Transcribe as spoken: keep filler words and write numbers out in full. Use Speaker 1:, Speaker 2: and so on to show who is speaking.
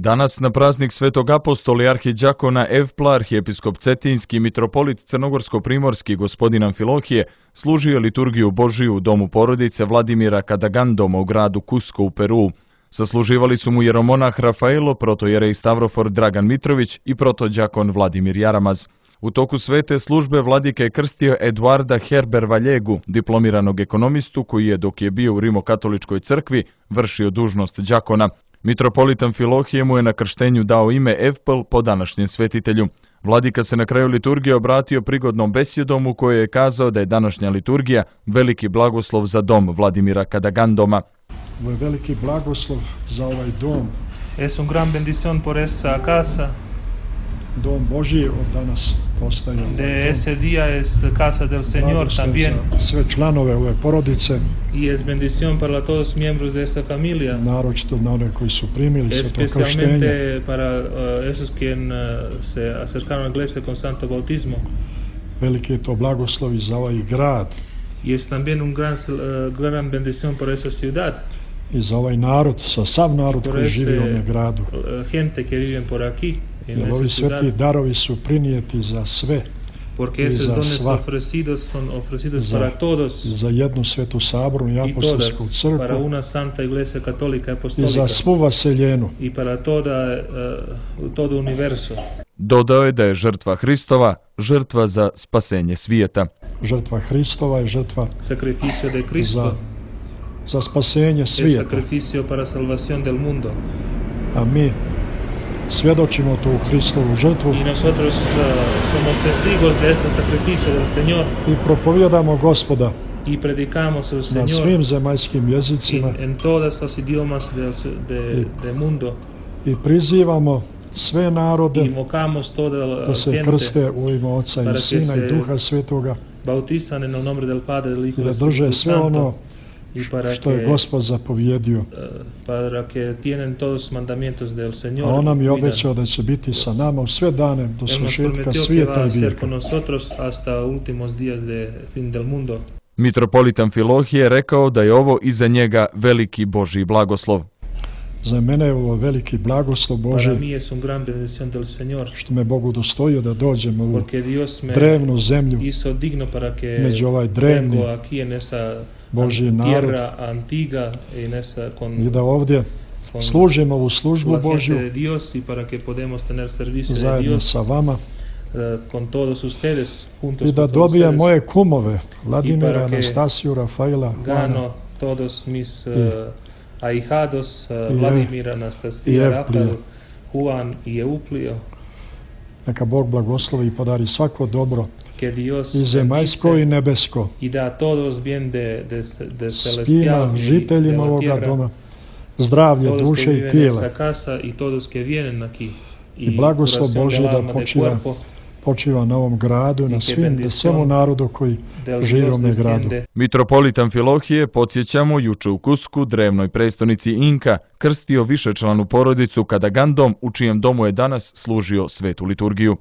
Speaker 1: Danas na praznik Svetog apostola i arhidjakona Evpla arhijepiskop Cetinski i mitropolit Crnogorsko-primorski gospodin Amfilohije služio liturgiju Božiju u domu porodice Vladimira Kadagandoma u gradu Cusco u Peruu. Sasluživali su mu jeromonah Rafaelo, protojerej Stavrofor Dragan Mitrović i protodjakon Vladimir Jaramaz. U toku svete službe vladika je krstio Eduarda Herber Valjegu, diplomiranog ekonomistu koji je, dok je bio u Rimokatoličkoj crkvi, vršio dužnost đakona. Mitropolit Amfilohije mu je na krštenju dao ime Evpl po današnjem svetitelju. Vladika se na kraju liturgije obratio prigodnom besjedom u kojoj je kazao da je današnja liturgija veliki blagoslov za dom Vladimira Kadagandoma.
Speaker 2: Ovo je veliki blagoslov za ovaj dom.
Speaker 3: Es un gran bendición por esa casa.
Speaker 2: Dom Božji od danas postaje.
Speaker 3: De ese día es casa del Señor también.
Speaker 2: Sve članove ove porodice.
Speaker 3: Y es bendición para todos miembros de esta familia.
Speaker 2: Naročito na one koji su primili sveto krštenje.
Speaker 3: Especialmente para uh, esos quien uh, se acercaron a la iglesia con santo bautismo.
Speaker 2: Veliki je to blagoslov i za ovaj grad.
Speaker 3: Y es también un gran uh, gran bendición por esa ciudad.
Speaker 2: I za ovaj narod, sa sav narod koji živi u ovom gradu.
Speaker 3: Gente que viven por aquí.
Speaker 2: Jer ovi sveti darovi su prinijeti za sve
Speaker 3: porque
Speaker 2: i za sva,
Speaker 3: ofrecidos son ofrecidos
Speaker 2: za,
Speaker 3: para todos,
Speaker 2: za jednu svetu sabornu i apostolsku crkvu
Speaker 3: para una santa iglesia católica
Speaker 2: i za svu vaseljenu
Speaker 3: i para toda, uh, todo universo.
Speaker 1: Dodao je da je žrtva Hristova žrtva za spasenje svijeta.
Speaker 2: Žrtva Hristova je žrtva
Speaker 3: sacrificio de Cristo,
Speaker 2: za, za spasenje svijeta.
Speaker 3: Sacrificio para salvación del mundo.
Speaker 2: A mi svjedočimo tu Hristovu žrtvu
Speaker 3: i nosotros uh, somos testigos de este sacrificio del Señor
Speaker 2: i propovijedamo Gospoda
Speaker 3: y predicamos el Señor
Speaker 2: na svim zemaljskim jezicima
Speaker 3: en, en todas las idiomas del de, de mundo
Speaker 2: i prizivamo sve narode
Speaker 3: invocamos toda la
Speaker 2: da se krste u ime Oca i Sina i Duha Svetoga
Speaker 3: bautizan en el nombre del Padre, del Hijo
Speaker 2: i da drže sve ono što je Gospod zapovjedio.
Speaker 3: Para que tienen todos mandamientos del Señor.
Speaker 2: A on nam je obećao da će biti sa nama u sve dane do svršetka svijeta i vijeka.
Speaker 1: Mitropolit Amfilohije je rekao da je ovo iza njega veliki Božji blagoslov.
Speaker 2: Za mene je ovo veliki blagoslov Božji, što me Bog udostojio da dođem u ovu drevnu zemlju, među ovaj drevni Božji narod, i da ovdje služimo ovu službu Božju zajedno sa vama i da dobijem moje kumove, Vladimira, Anastasiju, Rafaela, Juana
Speaker 3: ahijados Vladimira, Anastasija, Rafael, Juan i Euplio.
Speaker 2: Neka Bog blagoslovi i podari svako dobro i zemaljsko i nebesko svima žiteljima ovoga doma, zdravlje duše i tijela i blagoslov Božji da počiva počiva na ovom gradu, na svim, na svemu narodu koji živi u ovom gradu.
Speaker 1: Mitropolit Amfilohije, podsjećamo, juče u Cuscu, drevnoj prestonici Inka, krstio višečlanu porodicu Kadagandom, u čijem domu je danas služio svetu liturgiju.